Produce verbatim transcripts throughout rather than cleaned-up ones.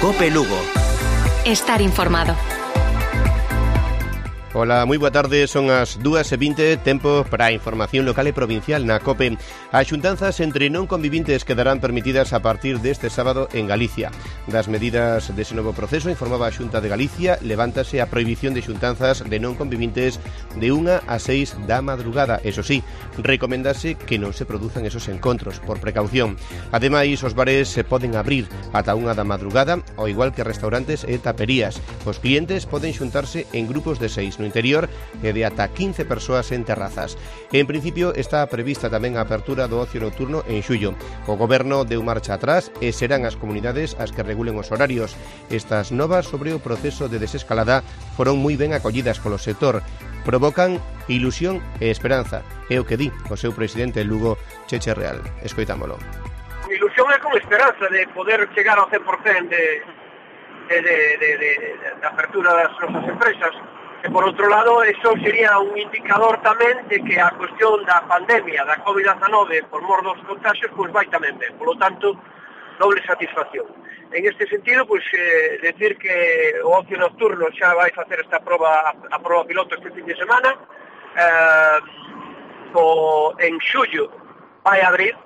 COPE Lugo. Estar informado. Ola, moi boa tarde, son as dúas e vinte, tempo para a información local e provincial na COPE. As xuntanzas entre non convivintes quedarán permitidas a partir deste sábado en Galicia. Das medidas dese novo proceso informaba a Xunta de Galicia, levántase a prohibición de xuntanzas de non convivintes de unha a seis da madrugada. Eso sí, recomendase que non se produzan esos encontros, por precaución. Ademais, os bares se poden abrir ata unha da madrugada, ao igual que restaurantes e taperías. Os clientes poden xuntarse en grupos de seis no interior e de ata quince persoas en terrazas. En principio está prevista tamén a apertura do ocio nocturno en xullo. O Goberno deu marcha atrás e serán as comunidades as que regulen os horarios. Estas novas sobre o proceso de desescalada foron moi ben acollidas polo sector. Provocan ilusión e esperanza. É o que di o seu presidente Lugo, Cheche Real. Escoitámolo. Ilusión é con esperanza de poder chegar ao cen por cento de, de, de, de, de, de apertura das nosas empresas. E por outro lado, eso sería un indicador tamén de que a cuestión da pandemia, da covid diecinueve, por mor dos contagios, pois vai tamén ben. Por lo tanto, doble satisfacción. En este sentido, pois, eh, decir que o ocio nocturno xa vai facer esta proba, a proba piloto este fin de semana, eh, o, en xullo vai abrir.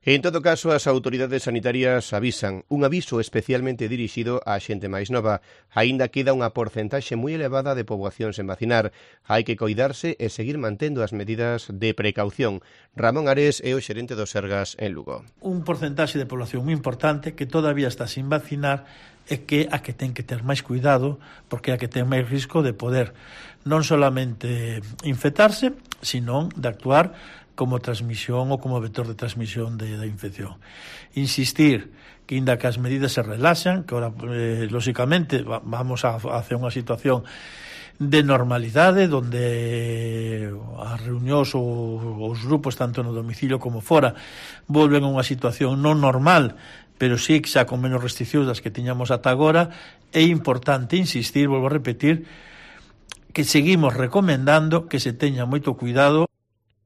En todo caso, as autoridades sanitarias avisan un aviso especialmente dirixido á xente máis nova. Aínda queda unha porcentaxe moi elevada de poboación sen vacinar. Hai que coidarse e seguir mantendo as medidas de precaución. Ramón Ares é o xerente do Sergas en Lugo. Un porcentaxe de población moi importante que todavía está sin vacinar é que a que ten que ter máis cuidado, porque a que ten máis risco de poder non solamente infectarse, sino de actuar como transmisión ou como vector de transmisión de, da infección. Insistir que, inda que as medidas se relaxan, que ahora, eh, lóxicamente, va, vamos a, a hacer unha situación de normalidade, donde as reunións ou os grupos, tanto no domicilio como fora, volven a unha situación non normal, pero sí xa con menos restriccións das que tiñamos ata agora. É importante insistir, volvo a repetir, que seguimos recomendando que se teña moito cuidado.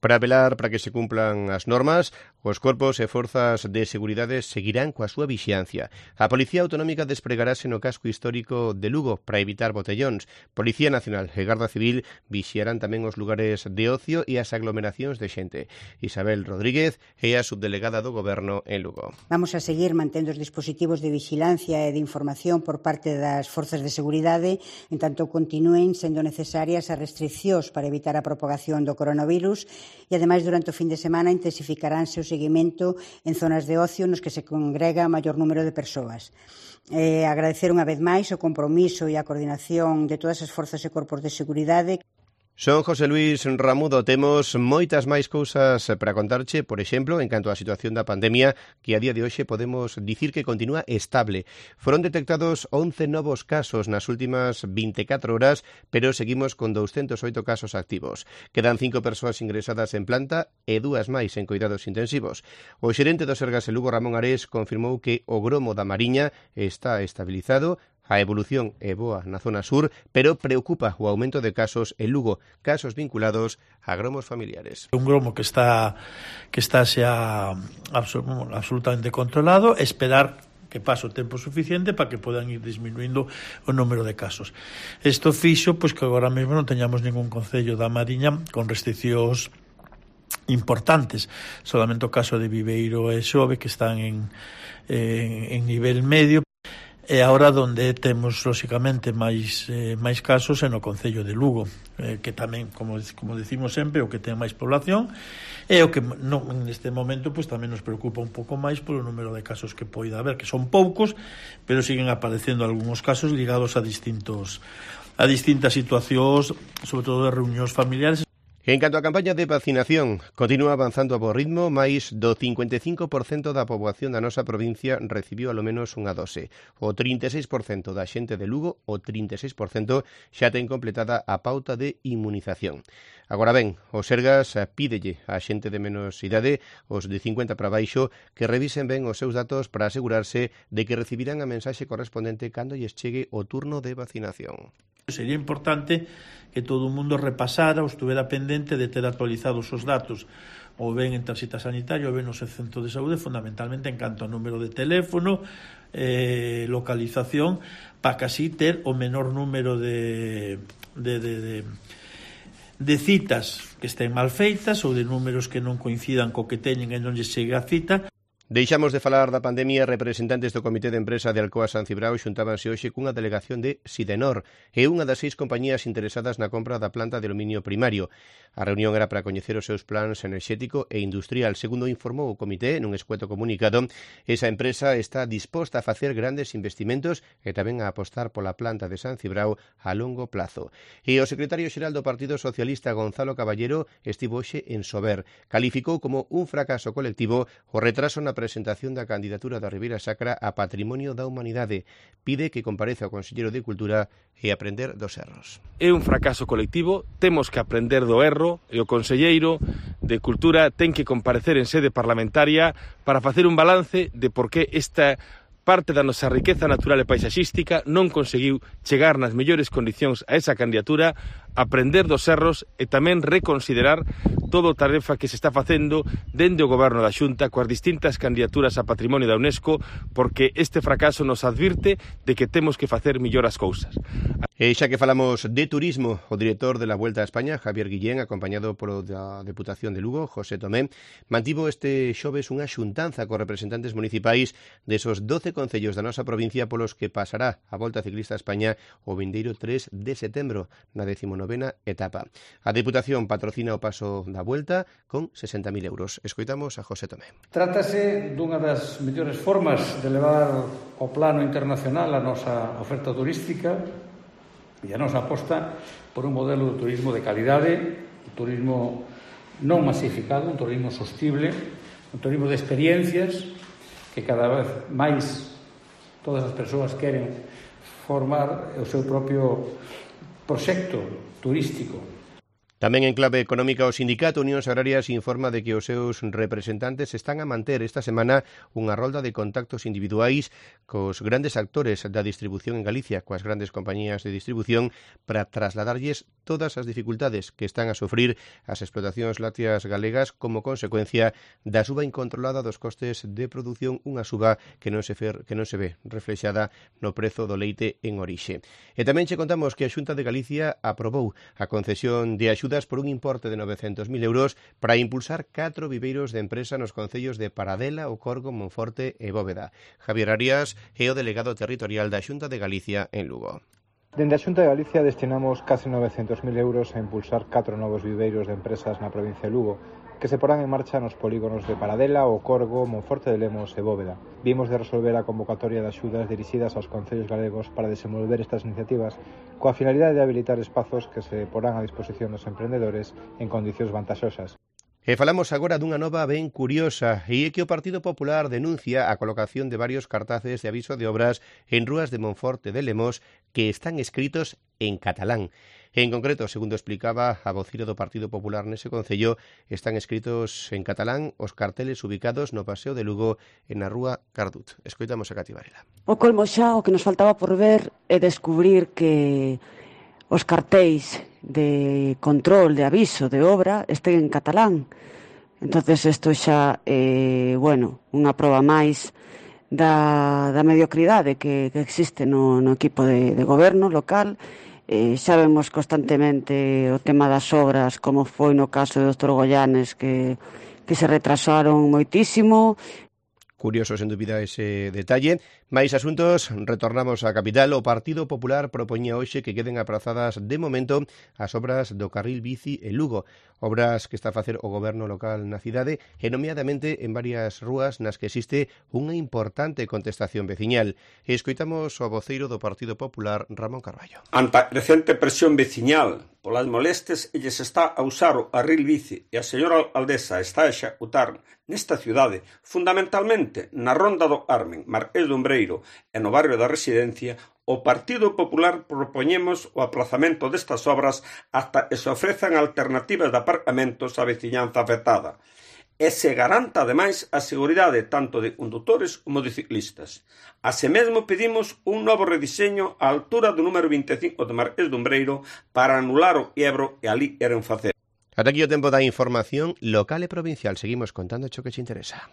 Para velar para que se cumplan as normas, os corpos e forzas de seguridade seguirán coa súa vixiancia. A Policía Autonómica despregarase no casco histórico de Lugo para evitar botellóns. Policía Nacional e Garda Civil vixiarán tamén os lugares de ocio e as aglomeracións de xente. Isabel Rodríguez é a subdelegada do Goberno en Lugo. Vamos a seguir mantendo os dispositivos de vixilancia e de información por parte das forzas de seguridade, en tanto continúen sendo necesarias as restriccións para evitar a propagación do coronavirus. E, ademais, durante o fin de semana intensificaránse o seguimento en zonas de ocio nos que se congrega maior número de persoas. Eh, agradecer unha vez máis o compromiso e a coordinación de todas as forzas e corpos de seguridade. Son José Luis Ramudo, temos moitas máis cousas para contarche, por exemplo, en canto á situación da pandemia, que a día de hoxe podemos dicir que continúa estable. Foron detectados once novos casos nas últimas vinte e catro horas, pero seguimos con doscientos oito casos activos. Quedan cinco persoas ingresadas en planta e dúas máis en cuidados intensivos. O xerente do Sergas en Lugo, Ramón Ares, confirmou que o gromo da Mariña está estabilizado. A evolución é boa na zona sur, pero preocupa o aumento de casos en Lugo, casos vinculados a gromos familiares. Un gromo que está que está xa absolutamente controlado, esperar que pase o tempo suficiente para que podan ir disminuindo o número de casos. Isto fixo pois que agora mesmo non teñamos ningún concello da Mariña con restriccións importantes. Solamente o caso de Viveiro e Xove, que están en, en, en nivel medio. E agora onde temos, lóxicamente, máis, eh, máis casos é no concello de Lugo, eh, que tamén, como, como decimos sempre, o que ten máis población, e o que no, neste momento pues, tamén nos preocupa un pouco máis polo número de casos que poida haber, que son poucos, pero siguen aparecendo algúns casos ligados a distintos a distintas situacións, sobre todo de reunións familiares. En canto á campaña de vacinación, continúa avanzando a bo ritmo, máis do cincuenta e cinco por cento da poboación da nosa provincia recibiu alo menos unha dose. O trinta e seis por cento da xente de Lugo, o trinta e seis por cento xa ten completada a pauta de inmunización. Agora ben, o Sergas pídelle á xente de menos idade, os de cincuenta para baixo, que revisen ben os seus datos para asegurarse de que recibirán a mensaxe correspondente cando lles chegue o turno de vacinación. Sería importante que todo o mundo repasara ou estuvera pendente de ter actualizados os datos ou ben en tarxeta sanitaria ou ben no centro de saúde, fundamentalmente en canto ao número de teléfono, eh, localización para casi ter o menor número de, de, de, de, de citas que estén mal feitas ou de números que non coincidan co que teñen e non lle chega a cita. Deixamos de falar da pandemia. Representantes do Comité de Empresa de Alcoa San Cibrao xuntábanse hoxe cunha delegación de Sidenor e unha das seis compañías interesadas na compra da planta de aluminio primario. A reunión era para coñecer os seus plans enerxético e industrial. Segundo informou o comité nun escueto comunicado, esa empresa está disposta a facer grandes investimentos e tamén a apostar pola planta de San Cibrao a longo plazo. E o secretario xeral do Partido Socialista, Gonzalo Caballero, estivo hoxe en Sober. Calificou como un fracaso colectivo o retraso na presentación da candidatura da Ribeira Sacra a Patrimonio da Humanidade. Pide que compareza o Conselleiro de Cultura e aprender dos erros. É un fracaso colectivo, temos que aprender do erro e o Conselleiro de Cultura ten que comparecer en sede parlamentaria para facer un balance de por que esta parte da nosa riqueza natural e paisaxística non conseguiu chegar nas mellores condicións a esa candidatura, aprender dos erros e tamén reconsiderar todo a tarefa que se está facendo dende o Goberno da Xunta coas distintas candidaturas a Patrimonio da UNESCO, porque este fracaso nos advirte de que temos que facer mellor as cousas. E xa que falamos de turismo, o director de la Vuelta a España, Javier Guillén, acompañado polo da Deputación de Lugo, José Tomé, mantivo este xoves unha xuntanza cos representantes municipais desos doce concellos da nosa provincia polos que pasará a Volta Ciclista a España o vindeiro tres de setembro, na decimonovena etapa. A Deputación patrocina o paso da Vuelta con sesenta mil euros. Escoitamos a José Tomé. Trátase dunha das mellores formas de levar ao plano internacional a nosa oferta turística e a nosa aposta por un modelo de turismo de calidade, un turismo non masificado, un turismo sostible, un turismo de experiencias que cada vez máis todas as persoas queren formar o seu propio proxecto turístico. Tamén en clave económica, o Sindicato Unións Agrarias informa de que os seus representantes están a manter esta semana unha rolda de contactos individuais cos grandes actores da distribución en Galicia, coas grandes compañías de distribución, para trasladarlles todas as dificultades que están a sufrir as explotacións lácteas galegas como consecuencia da suba incontrolada dos costes de produción, unha suba que non se fer, que non se ve reflexada no prezo do leite en orixe. E tamén che contamos que a Xunta de Galicia aprobou a concesión de axudas por un importe de novecentos mil euros para impulsar catro viveiros de empresa nos concellos de Paradela, O Corgo, Monforte e Bóveda. Javier Arias é o delegado territorial da Xunta de Galicia en Lugo. Dende a Xunta de Galicia destinamos case novecentos mil euros a impulsar catro novos viveiros de empresas na provincia de Lugo, que se porán en marcha nos polígonos de Paradela, O Corgo, Monforte de Lemos e Bóveda. Vimos de resolver a convocatoria de axudas dirixidas aos concellos galegos para desenvolver estas iniciativas coa finalidade de habilitar espazos que se porán a disposición dos emprendedores en condicións vantaxosas. E falamos agora dunha nova ben curiosa, e é que o Partido Popular denuncia a colocación de varios cartaces de aviso de obras en rúas de Monforte de Lemos que están escritos en catalán. En concreto, segundo explicaba a vocira do Partido Popular nese concello, están escritos en catalán os carteles ubicados no Paseo de Lugo e na rúa Cardut. Escoitamos a Cati Varela. O colmo xa, o que nos faltaba por ver é descubrir que os cartéis de control, de aviso, de obra, estén en catalán. Entonces isto xa é, eh, bueno, unha proba máis da, da mediocridade que, que existe no, no equipo de, de goberno local. Eh, xa vemos constantemente o tema das obras, como foi no caso de doutor Goyanes, que, que se retrasaron moitísimo. Curioso, sen dúbida, ese detalle. Mais asuntos, retornamos á capital. O Partido Popular propoñía hoxe que queden aprazadas de momento as obras do carril bici en Lugo, obras que está a facer o goberno local na cidade e nomeadamente en varias rúas nas que existe unha importante contestación veciñal. E escoitamos o voceiro do Partido Popular, Ramón Carballo. Ante a recente presión veciñal polas molestes, elles está a usar o carril bici e a señora Aldesa está a executar nesta cidade, fundamentalmente na Ronda do Carmen, Marqués do Umbreiro e no barrio da Residencia, o Partido Popular propoñemos o aplazamento destas obras hasta que se ofrezan alternativas de aparcamentos á veciñanza afectada e se garanta, ademais, a seguridade tanto de condutores como de ciclistas. Así mesmo pedimos un novo rediseño á altura do número vinte e cinco de Marqués do Umbreiro para anular o Ebro e ali queren facer. Ata aquí o tempo da información local e provincial. Seguimos contando o que te interesa.